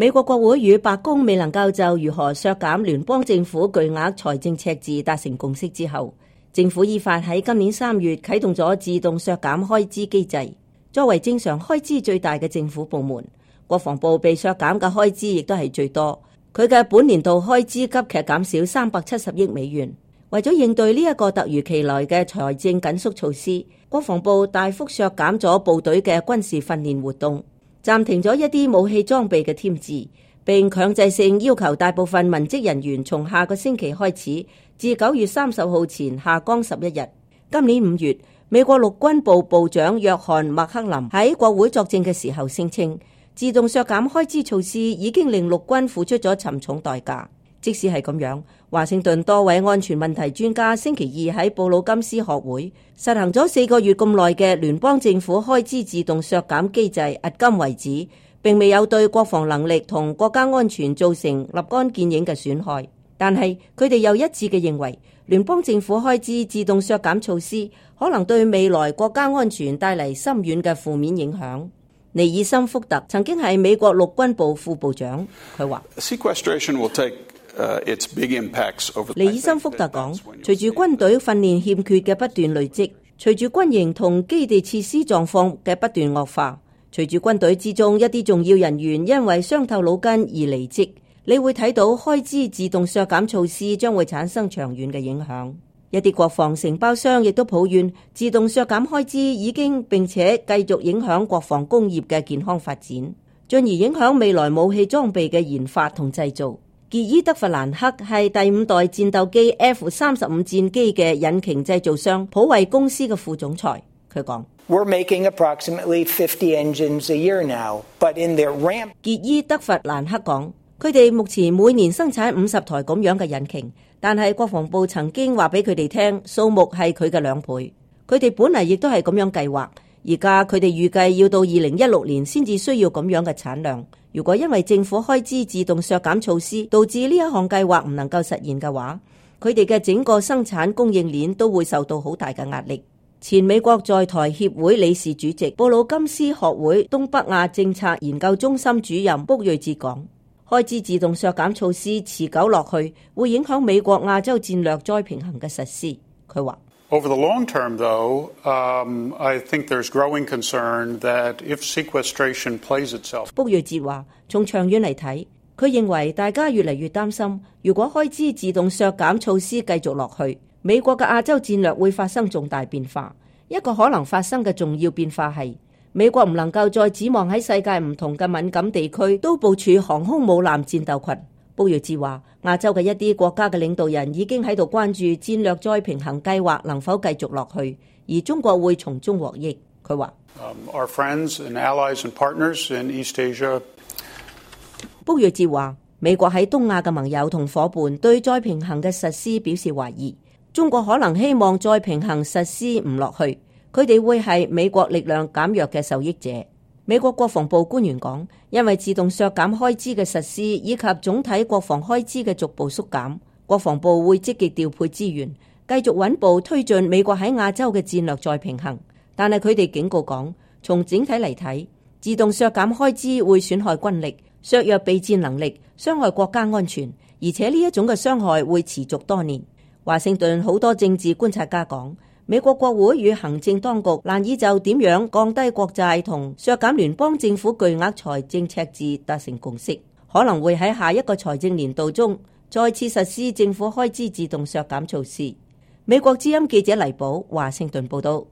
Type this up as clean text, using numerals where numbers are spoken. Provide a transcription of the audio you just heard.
美國國會與白宮未能夠就如何削減聯邦政府巨額財政赤字達成共識之後，政府依法喺今年3月啟動咗自動削減開支機制。作為正常開支最大嘅政府部門，國防部被削減嘅開支亦都係最多。佢嘅本年度開支急劇減少370億美元。為咗應對呢一個突如其來嘅財政緊縮措施，國防部大幅削減咗部隊嘅軍事訓練活動，暫停咗一啲武器裝備嘅添置，並強制性要求大部分文職人員從下個星期開始至9月30號前下崗11日。今年5月，美國陸軍部部長約翰麥克林喺國會作證嘅時候聲稱，自動削減開支措施已經令陸軍付出咗沉重代價。即使係咁樣，華盛頓多位安全問題專家星期二喺布魯金斯學會實行咗4個月咁耐嘅聯邦政府開支自動削減機制，迄今為止並未有對國防能力同國家安全造成立竿見影嘅損害。但係佢哋又一致嘅認為，聯邦政府開支自動削減措施可能對未來國家安全帶嚟深遠嘅負面影響。尼爾森福特曾經係美國陸軍部副部長，佢話尼爾森福特講，隨住軍隊訓練欠缺嘅不斷累積，隨住軍營同基地設施狀況嘅不斷惡化，隨住軍隊之中一啲重要人員因為傷透腦筋而離職，你會睇到開支自動削減措施將會產生長遠嘅影響。一啲國防承包商亦都抱怨，自動削減開支已經並且繼續影響國防工業嘅健康發展，進而影響未來武器裝備嘅研發同製造。傑伊德弗蘭克係第5代戰鬥機 F-35 戰機嘅引擎製造商普惠公司嘅副總裁，佢講：We're making approximately 50 engines a year now, but in their ramp。傑伊德弗蘭克講，佢哋目前每年生產50台咁樣嘅引擎，但係國防部曾經話俾佢哋聽，數目係佢嘅2倍。佢哋本嚟亦都係咁樣計劃，而家佢哋預計要到2016年先至需要咁樣嘅產量。如果因為政府開支自動削減措施導致呢一項計劃唔能夠實現嘅話，佢哋嘅整個生產供應鏈都會受到好大嘅壓力。前美國在台協會理事主席布魯金斯學會東北亞政策研究中心主任卜瑞哲講，開支自動削減措施持久落去會影響美國亞洲戰略再平衡嘅實施。佢話：Over the long term, though, I think there's growing concern that if sequestration plays itself。卜瑞哲話：從長遠嚟睇，佢認為大家越嚟越擔心，如果開支自動削減措施繼續落去，美國嘅亞洲戰略會發生重大變化。一個可能發生嘅重要變化係，美國唔能夠再指望喺世界唔同嘅敏感地區都部署航空母艦戰鬥群。布瑞智話，亞洲嘅一啲國家嘅領導人已經喺度關注戰略再平衡計劃能否繼續落去，而中國會從中獲益。佢話：Our friends and allies and partners in East Asia。布瑞智話，美國喺東亞嘅盟友同伙伴對再平衡嘅實施表示懷疑，中國可能希望再平衡實施唔落去，佢哋會係美國力量減弱嘅受益者。美國國防部官員講，因為自動削減開支嘅實施以及總體國防開支嘅逐步縮減，國防部會積極調配資源，繼續穩步推進美國喺亞洲嘅戰略再平衡。但係佢哋警告講，從整體嚟睇，自動削減開支會損害軍力，削弱備戰能力，傷害國家安全，而且呢一種嘅傷害會持續多年。華盛頓好多政治觀察家講，美國國會與行政當局難以就點樣降低國債同削減聯邦政府巨額財政赤字達成共識，可能會喺下一個財政年度中再次實施政府開支自動削減措施。美國之音記者黎寶，華盛頓報道。